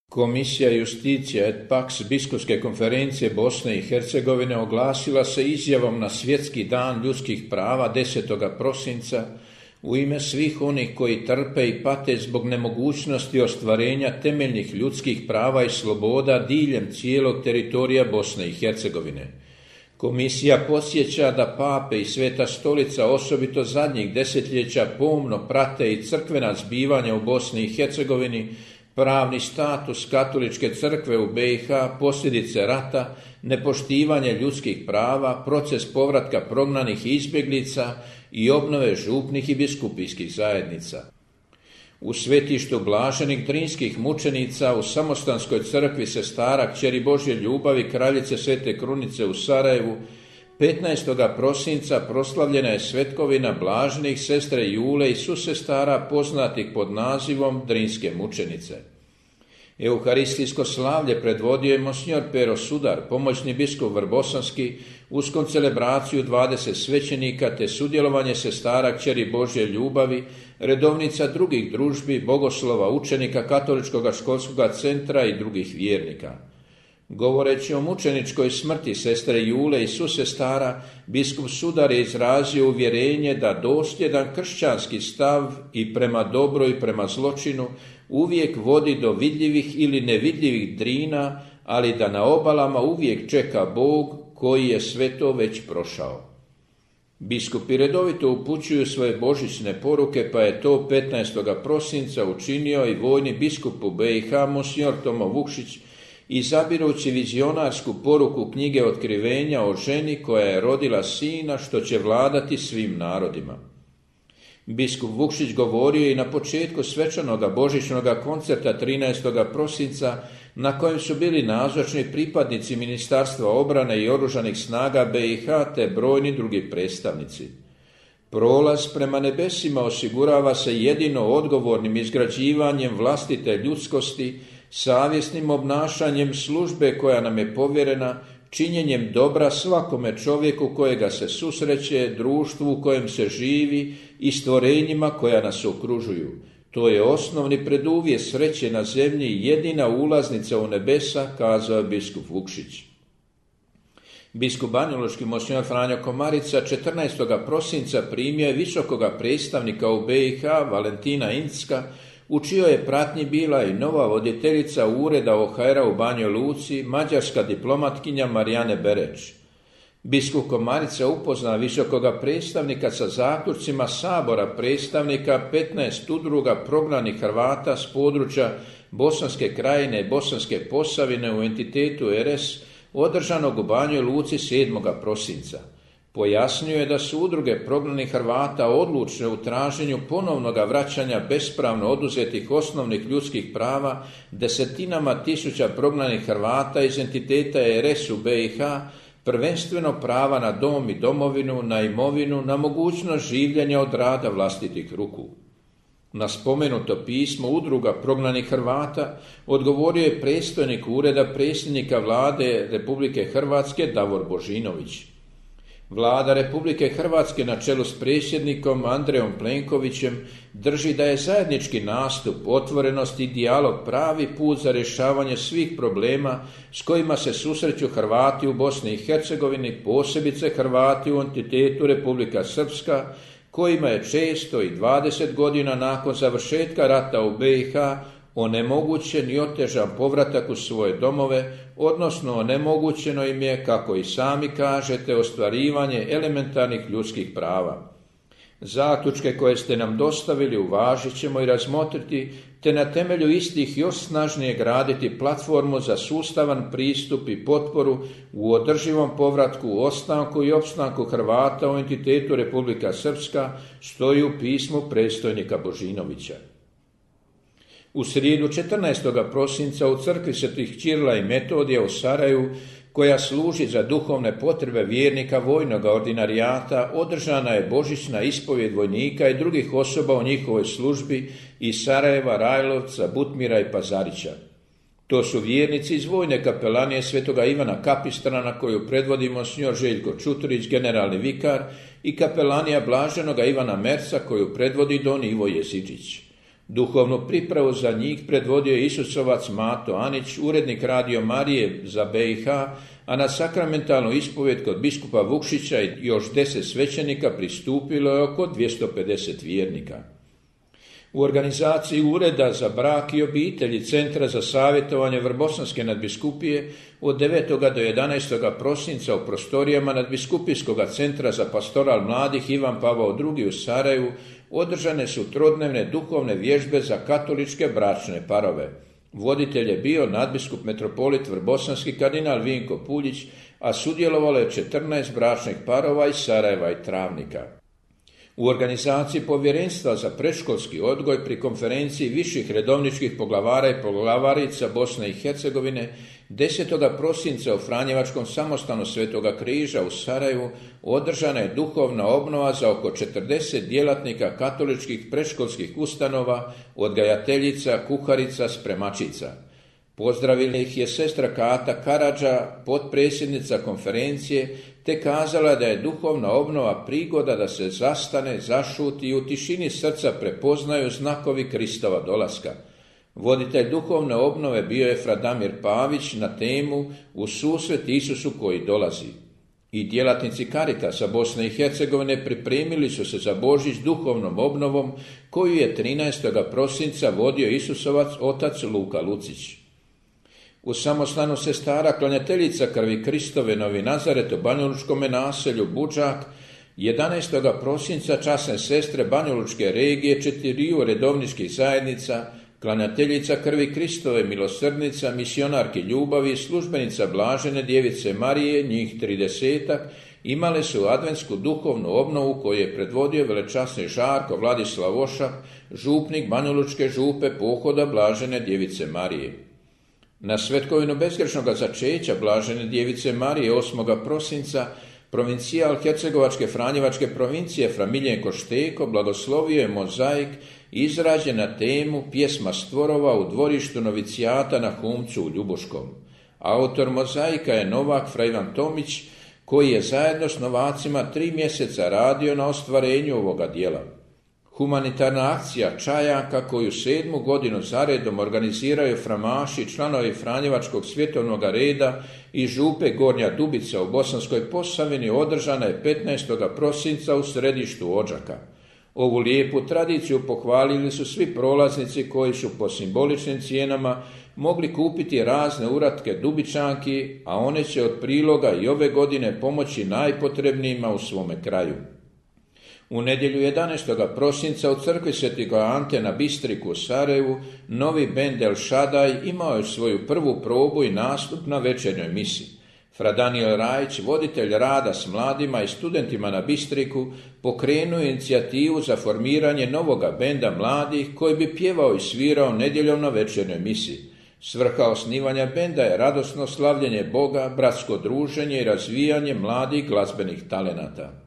Komisija Justicija et Pax Biskupske konferencije Bosne i Hercegovine oglasila se izjavom na Svjetski dan ljudskih prava 10. prosinca u ime svih onih koji trpe i pate zbog nemogućnosti ostvarenja temeljnih ljudskih prava i sloboda diljem cijelog teritorija Bosne i Hercegovine. Komisija podsjeća da pape i Sveta stolica osobito zadnjih desetljeća pomno prate i crkvena zbivanja u Bosni i Hercegovini, pravni status katoličke crkve u BiH, posljedice rata, nepoštivanje ljudskih prava, proces povratka prognanih i izbjeglica i obnove župnih i biskupijskih zajednica. U svetištu blaženih drinskih mučenica u Samostanskoj crkvi Sestara Kćeri Božje ljubavi Kraljice Svete Krunice u Sarajevu 15. prosinca proslavljena je svetkovina blaženih sestre Jule i susestara poznatih pod nazivom Drinske mučenice. Euharistijsko slavlje predvodio je monsignor Pero Sudar, pomoćni biskup Vrbosanski, uz koncelebraciju 20 svećenika te sudjelovanje sestara Kćeri Božje ljubavi, redovnica drugih družbi, bogoslova, učenika Katoličkog školskog centra i drugih vjernika. Govoreći o mučeničkoj smrti sestre Jule i susestara, biskup Sudar je izrazio uvjerenje da dosljedan kršćanski stav i prema dobru i prema zločinu uvijek vodi do vidljivih ili nevidljivih drina, ali da na obalama uvijek čeka Bog koji je sve to već prošao. Biskupi redovito upućuju svoje božićne poruke, pa je to 15. prosinca učinio i vojni biskup u BiH monsignor Tomo Vukšić, izabirući vizionarsku poruku knjige Otkrivenja o ženi koja je rodila sina što će vladati svim narodima. Biskup Vukšić govorio i na početku svečanoga božićnoga koncerta 13. prosinca na kojem su bili nazočni pripadnici Ministarstva obrane i oružanih snaga BiH te brojni drugi predstavnici. Prolaz prema nebesima osigurava se jedino odgovornim izgrađivanjem vlastite ljudskosti, savjesnim obnašanjem službe koja nam je povjerena, činjenjem dobra svakome čovjeku kojega se susreće, društvu u kojem se živi i stvorenjima koja nas okružuju. To je osnovni preduvjet sreće na zemlji i jedina ulaznica u nebesa, kazao je biskup Vukšić. Biskup banjalučki monsignor Franjo Komarica 14. prosinca primio je visokoga predstavnika u BiH Valentina Incka, u čijoj je pratnji bila i nova voditeljica ureda OHR-a u Banjoj Luci, mađarska diplomatkinja Marijane Bereć. Biskup Komarica upozna visokoga predstavnika sa zaključcima Sabora predstavnika 15 udruga prognanih Hrvata s područja Bosanske krajine i Bosanske Posavine u entitetu RS održanog u Banjoj Luci 7. prosinca. Pojasnio je da su udruge prognanih Hrvata odlučne u traženju ponovnoga vraćanja bespravno oduzetih osnovnih ljudskih prava desetinama tisuća prognanih Hrvata iz entiteta RS u BiH, prvenstveno prava na dom i domovinu, na imovinu, na mogućnost življenja od rada vlastitih ruku. Na spomenuto pismo udruga prognanih Hrvata odgovorio je predstojnik ureda predsjednika vlade Republike Hrvatske Davor Božinović. Vlada Republike Hrvatske na čelu s predsjednikom Andrejom Plenkovićem drži da je zajednički nastup, otvorenost i dijalog pravi put za rješavanje svih problema s kojima se susreću Hrvati u Bosni i Hercegovini, posebice Hrvati u entitetu Republika Srpska, kojima je često i 20 godina nakon završetka rata u BiH onemogućen i otežan povratak u svoje domove, odnosno onemogućeno im je, kako i sami kažete, ostvarivanje elementarnih ljudskih prava. Zaključke koje ste nam dostavili uvažit ćemo i razmotriti, te na temelju istih još snažnije graditi platformu za sustavan pristup i potporu u održivom povratku, ostanku i opstanku Hrvata u entitetu Republika Srpska, stoji u pismu predstojnika Božinovića. U srijedu 14. prosinca u crkvi Svetih Ćirila i Metodija u Sarajevu, koja služi za duhovne potrebe vjernika vojnog ordinarijata, održana je božićna ispovjed vojnika i drugih osoba u njihovoj službi iz Sarajeva, Rajlovca, Butmira i Pazarića. To su vjernici iz vojne kapelanije Svetoga Ivana Kapistrana koju predvodi monsignor Željko Čuturić, generalni vikar, i kapelanija Blaženoga Ivana Merca koju predvodi don Ivo Jezičić. Duhovnu pripravu za njih predvodio je Isusovac Mato Anić, urednik Radio Marije za BiH, a na sakramentalnu ispovjed kod biskupa Vukšića i još 10 svećenika pristupilo je oko 250 vjernika. U organizaciji Ureda za brak i obitelji Centra za savjetovanje Vrbosanske nadbiskupije od 9. do 11. prosinca u prostorijama Nadbiskupijskog centra za pastoral mladih Ivan Pavao II u Sarajevu održane su trodnevne duhovne vježbe za katoličke bračne parove. Voditelj je bio nadbiskup metropolit Vrbosanski kardinal Vinko Puljić, a sudjelovalo je 14 bračnih parova iz Sarajeva i Travnika. U organizaciji Povjerenstva za predškolski odgoj pri konferenciji viših redovničkih poglavara i poglavarica Bosne i Hercegovine 10. prosinca u Franjevačkom samostanu Svetoga Križa u Sarajevu održana je duhovna obnova za oko 40 djelatnika katoličkih predškolskih ustanova, odgajateljica, kuharica, spremačica. Pozdravila ih je sestra Kata Karadža, potpredsjednica konferencije, te kazala da je duhovna obnova prigoda da se zastane, zašuti i u tišini srca prepoznaju znakovi Kristova dolaska. Voditelj duhovne obnove bio je Fradamir Pavić na temu U susret Isusu koji dolazi. I djelatnici Caritasa Bosne i Hercegovine pripremili su se za Božić duhovnom obnovom koju je 13. prosinca vodio Isusovac otac Luka Lucić. U samostanu sestara klanjateljica krvi Kristove Novi Nazaret u banjalučkome naselju Budžak 11. prosinca časne sestre banjalučke regije 4 redovničkih zajednica, klanjateljica krvi Kristove milosrdnica, misionarki ljubavi, službenica Blažene Djevice Marije, njih 30, imale su adventsku duhovnu obnovu koju je predvodio velečasni Žarko Vladislav Ošak, župnik banjalučke župe pohoda Blažene Djevice Marije. Na svetkovinu bezgrešnoga začeća Blažene Djevice Marije 8. prosinca provincijal Hercegovačke Franjevačke provincije Fra Miljenko Šteko blagoslovio je mozaik izrađen na temu Pjesma stvorova u dvorištu novicijata na Humcu u Ljubuškom. Autor mozaika je Novak Fra Ivan Tomić, koji je zajedno s novacima 3 mjeseca radio na ostvarenju ovoga djela. Humanitarna akcija Čajanka, koju 7. godinu zaredom organiziraju framaši, članovi Franjevačkog svjetovnog reda i župe Gornja Dubica u Bosanskoj Posavini, održana je 15. prosinca u središtu Odžaka. Ovu lijepu tradiciju pohvalili su svi prolaznici koji su po simboličnim cijenama mogli kupiti razne uratke Dubičanki, a one će od priloga i ove godine pomoći najpotrebnijima u svome kraju. U nedjelju 11. prosinca u crkvi Svetoga Ante na Bistriku u Sarajevu novi bend El Šadaj imao je svoju prvu probu i nastup na večernjoj misi. Fra Daniel Rajić, voditelj rada s mladima i studentima na Bistriku, pokrenuo inicijativu za formiranje novoga benda mladih koji bi pjevao i svirao nedjeljom na večernjoj misi. Svrha osnivanja benda je radosno slavljenje Boga, bratsko druženje i razvijanje mladih glazbenih talenata.